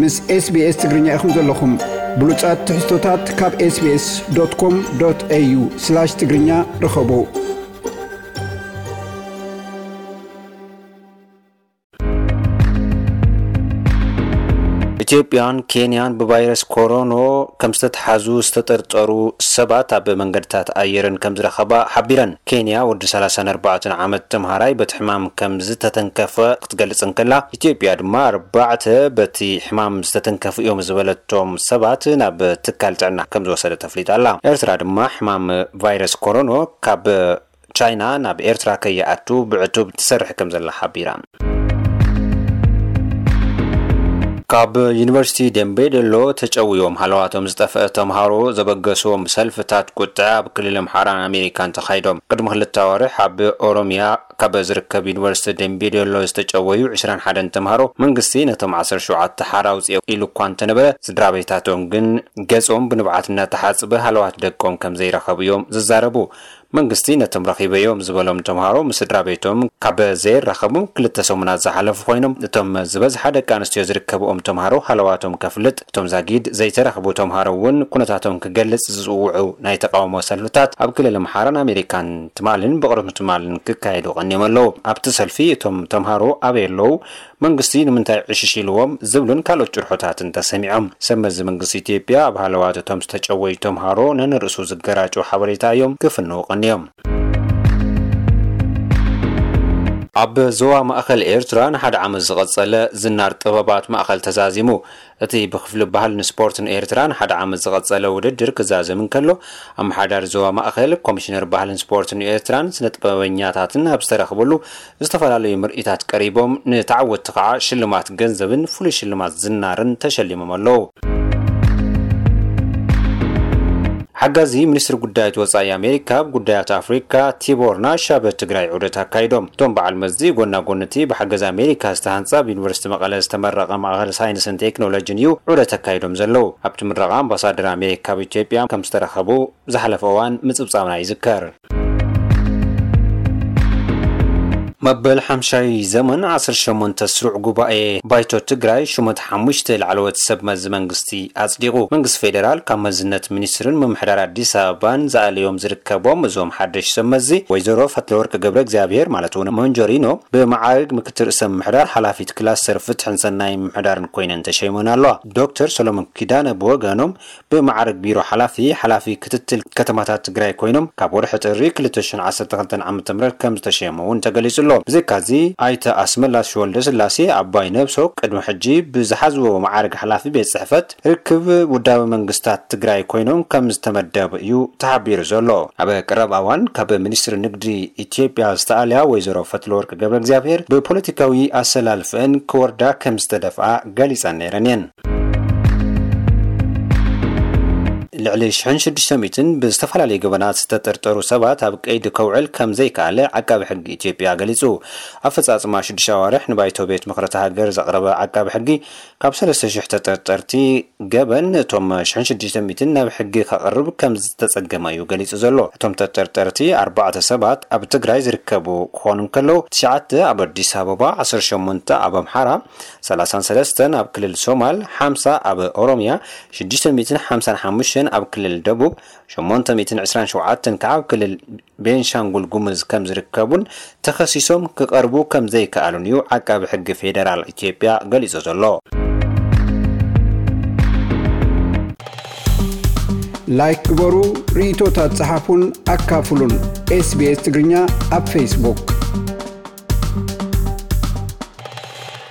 ምስ SBS ትግርኛ ኢኹም ዘለኹም። ብሉጻት ትሕዝቶታት ካብ SBS.com.au/ትግርኛ ርኸቡ። ኢትዮጵያን ኬንያን ብቫይረስ ኮሮኖ ከም ዝተተሓዙ ዝተጠርጠሩ ሰባት ኣብ መንገድታት ኣየርን ከም ዝረኸባ ሓቢረን። ኬንያ ወዲ ሰላሳን ኣርባዕተን ዓመት ተምሃራይ በቲ ሕማም ከም ዝተተንከፈ ክትገልጽ እንከላ፣ ኢትዮጵያ ድማ ኣርባዕተ በቲ ሕማም ዝተተንከፉ እዮም ዝበለቶም ሰባት ናብ ትካል ጥዕና ከም ዝወሰደት ኣፍሊጣ ኣላ። ኤርትራ ድማ ሕማም ቫይረስ ኮሮኖ ካብ ቻይና ናብ ኤርትራ ከይኣቱ ብዕቱብ ትሰርሕ ከም ዘላ ሓቢራ። ካብ ዩኒቨርሲቲ ደምቤ ዶሎ ተጨውዮም ሃለዋቶም ዝጠፍአ ተምሃሮ ዘበገስዎም ሰልፍታት ቁጥዐ ኣብ ክልል ኣምሓራን ኣሜሪካን ተኻይዶም። ቅድሚ ክልተ ኣዋርሕ ኣብ ኦሮሚያ ካብ ዝርከብ ዩኒቨርሲቲ ደምቤ ዶሎ ዝተጨወዩ ዕስራን ሓደን ተምሃሮ መንግስቲ ነቶም ዓሰርተ ሸውዓተ ሓራ ኣውፅኦ ኢሉ እኳ እንተነበረ፣ ስድራ ቤታቶም ግን ገጾም ብንብዓት እናተሓጽበ ሃለዋት ደቆም ከም ዘይረኸቡ እዮም ዝዛረቡ። መንግስቲ ነቶም ረኺበዮም ዝበሎም ተምሃሮ ምስ ስድራ ቤቶም ካብ ዘይራኸቡ ክልተ ሰሙናት ዝሓለፉ ኮይኖም፣ እቶም ዝበዝሓ ደቂ ኣንስትዮ ዝርከብኦም ተምሃሮ ሃለዋቶም ከፍልጥ፣ እቶም ዛጊድ ዘይተረኽቡ ተምሃሮ እውን ኩነታቶም ክገልጽ ዝጽውዑ ናይ ተቃውሞ ሰልፍታት ኣብ ክልል ኣምሓራን ኣሜሪካን ትማልን ብቕድሚ ትማልን ክካየዱ ቀኒዮም ኣለዉ። ኣብቲ ሰልፊ እቶም ተምሃሮ ኣበይ ኣለዉ፣ መንግስቲ ንምንታይ ዕሽሽ ኢልዎም ዝብሉን ካልኦት ጭርሖታትን ተሰሚዖም። ሰብ መዚ መንግስቲ ኢትዮጵያ ኣብ ሃለዋት እቶም ዝተጨወዩ ተምሃሮ ነንርእሱ ዝገራጨው ሓበሬታ እዮም ክፍንው ቀንዮም። ኣብ ዞባ ማእከል ኤርትራ ንሓደ ዓመት ዝቐጸለ ዝናር ጥበባት ማእከል ተዛዚሙ። እቲ ብክፍሊ ባህልን ስፖርትን ኤርትራ ንሓደ ዓመት ዝቐጸለ ውድድር ክዛዘም እንከሎ፣ ኣመሓዳሪ ዞባ ማእከል፣ ኮሚሽነር ባህልን ስፖርትን ኤርትራን ስነ ጥበበኛታትን ኣብ ዝተረኽበሉ ዝተፈላለዩ ምርኢታት ቀሪቦም፣ ንተዓወትቲ ከዓ ሽልማት ገንዘብን ፍሉይ ሽልማት ዝናርን ተሸሊሞም ኣለዉ። ሓጋዚ ሚኒስትሪ ጉዳያት ወጻኢ ኣሜሪካ ኣብ ጉዳያት ኣፍሪካ ቲቦር ናሽ ኣብ ትግራይ ዑደት ኣካይዶም። እቶም በዓል መዚ ጎና ጎንቲ ብሓገዝ ኣሜሪካ ዝተሃንጸ ኣብ ዩኒቨርሲቲ መቐለ ዝተመረቐ ማእኸል ሳይንስን ቴክኖሎጂን እዩ ዑደት ኣካይዶም ዘለዉ። ኣብቲ ምረቓ ኣምባሳደር ኣሜሪካ ኣብ ኢትዮጵያ ከም ዝተረኸቡ ዝሓለፈ እዋን ምጽብጻብና ይዝከር። መበል ሓምሻይ ዘመን ዓሰርተ ሸሞንተ ስሩዕ ጉባኤ ባይቶ ትግራይ ሽሞት ሓሙሽተ ላዕለዎት ሰብ መዚ መንግስቲ ኣጽዲቑ። መንግስቲ ፌዴራል ካብ መዝነት ሚኒስትርን ምምሕዳር ኣዲስ ኣበባን ዝኣለዮም ዝርከቦም እዞም ሓደሽ ሰብ መዚ፣ ወይዘሮ ፈትለወርቅ ገብረ እግዚኣብሔር ማለት እውን ሞንጆሪኖ ብመዓርግ ምክትል ርእሰ ምምሕዳር ሓላፊት ክላስተር ፍትሕን ሰናይ ምምሕዳርን ኮይነን ተሸይመን ኣለዋ። ዶክተር ሰሎሞን ኪዳነ ብወገኖም ብመዓርግ ቢሮ ሓላፊ፣ ሓላፊ ክትትል ከተማታት ትግራይ ኮይኖም ካብ ወርሒ ጥሪ ክልተ ሽሕን ዓሰርተ ክልተን ዓመተ ምህረት ከም ዝተሸየሙ እውን ተገሊጹ ኣሎ። ብዘይካዚ ኣይተ ኣስመላሽ ወልደ ስላሴ ኣባይ ነብሶ ቅድሚ ሕጂ ብዝሓዝዎ መዓርግ ሓላፊ ቤት ጽሕፈት ርክብ ውዳበ መንግስታት ትግራይ ኮይኖም ከም ዝተመደቡ እዩ ተሓቢሩ ዘሎ። ኣብ ቀረባ እዋን ካብ ሚኒስትሪ ንግዲ ኢትዮጵያ ዝተኣልያ ወይዘሮ ፈትለወርቅ ገብረ እግዚኣብሔር ብፖለቲካዊ ኣሰላልፈን ክወርዳ ከም ዝተደፍኣ ገሊጸን ነይረን እየን። ልዕሊ ሽሕን ሽዱሽተ ሚእትን ብዝተፈላለዩ ገበናት ዝተጠርጠሩ ሰባት ኣብ ቀይዲ ከውዕል ከም ዘይከኣለ ዓቃቢ ሕጊ ኢትዮጵያ ገሊጹ። ኣፈጻጽማ ሽዱሽተ ኣዋርሕ ንባይቶ ቤት ምኽሪ እታ ሃገር ዘቕረበ ዓቃቢ ሕጊ፣ ካብ ሰለስተ ሽሕ ተጠርጠርቲ ገበን እቶም ሽሕን ሽዱሽተ ሚእትን ናብ ሕጊ ከቕርብ ከም ዝተጸገመ እዩ ገሊጹ ዘሎ። እቶም ተጠርጠርቲ ኣርባዕተ ሰባት ኣብ ትግራይ ዝርከቡ ክኾኑ እንከለዉ፣ ትሽዓተ ኣብ ኣዲስ ኣበባ፣ ዓሰርተ ሸሞንተ ኣብ ኣምሓራ፣ ሰላሳን ሰለስተን ኣብ ክልል ሶማል፣ ሓምሳ ኣብ ኦሮሚያ፣ ሽዱሽተ ሚእትን ሓምሳን ሓሙሽተን ኣብ ክልል ደቡብ፣ ሸሞንተ ሚእትን ዕስራን ሸውዓተን ከዓ ኣብ ክልል ቤንሻንጉል ጉሙዝ ከም ዝርከቡን ተኸሲሶም ክቐርቡ ከም ዘይከኣሉን እዩ ዓቃቢ ሕጊ ፌዴራል ኢትዮጵያ ገሊጹ ዘሎ። ላይክ ግበሩ፣ ርእይቶታት ጸሓፉን ኣካፍሉን። SBS ትግርኛ ኣብ ፌስቡክ።